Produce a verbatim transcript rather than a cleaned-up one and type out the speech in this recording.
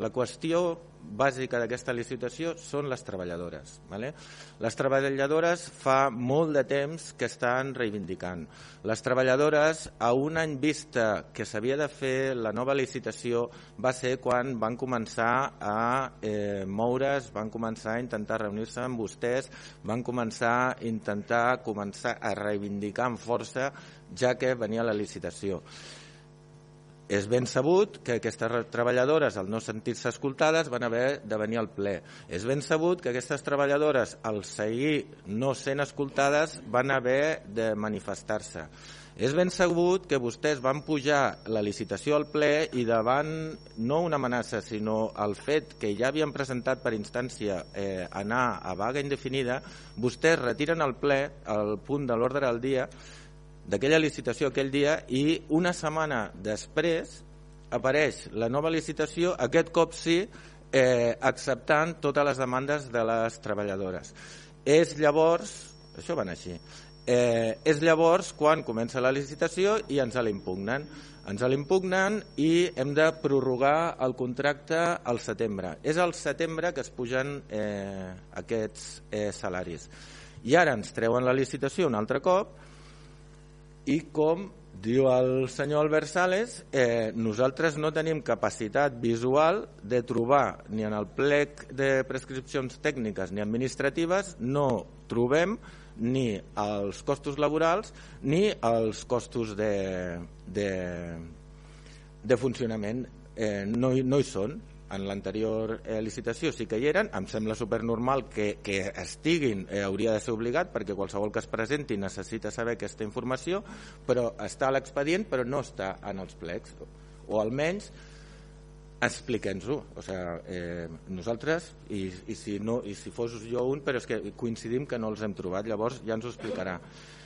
La qüestió bàsica d'aquesta licitació són les treballadores. Vale? Les treballadores fa molt de temps que estan reivindicant. Les treballadores, a un any vista que s'havia de fer la nova licitació, va ser quan van començar a eh, moure's, van començar a intentar reunir-se amb vostès, van començar a intentar començar a reivindicar amb força, ja que venia la licitació. És ben sabut que aquestes treballadores, al no sentir-se escoltades, van haver de venir al ple. És ben sabut que aquestes treballadores, al seguir no sent escoltades, van haver de manifestar-se. És ben sabut que vostès van pujar la licitació al ple i davant, no una amenaça, sinó el fet que ja havien presentat per instància eh, anar a vaga indefinida, vostès retiren al ple el punt de l'ordre del dia d'aquella licitació aquell dia i una setmana després apareix la nova licitació, aquest cop sí, eh, acceptant totes les demandes de les treballadores. És llavors, això va anar així, eh, és llavors quan comença la licitació i ens l'impugnen. Ens l'impugnen i hem de prorrogar el contracte al setembre. És al setembre que es pugen eh, aquests eh, salaris. I ara ens treuen la licitació un altre cop i, com diu el senyor Albert Sales, eh, nosaltres no tenim capacitat visual de trobar ni en el plec de prescripcions tècniques ni administratives, no trobem ni els costos laborals ni els costos de, de, de funcionament. Eh, no, no hi són. En l'anterior eh, licitació sí que hi eren, em sembla supernormal que, que estiguin, eh, hauria de ser obligat perquè qualsevol que es presenti necessita saber aquesta informació, però està a l'expedient però no està en els plecs, o almenys expliquem-nos-ho. O sigui, eh, nosaltres, i, i, si no, i si fos jo un, però és que coincidim que no els hem trobat, llavors ja ens ho explicarà.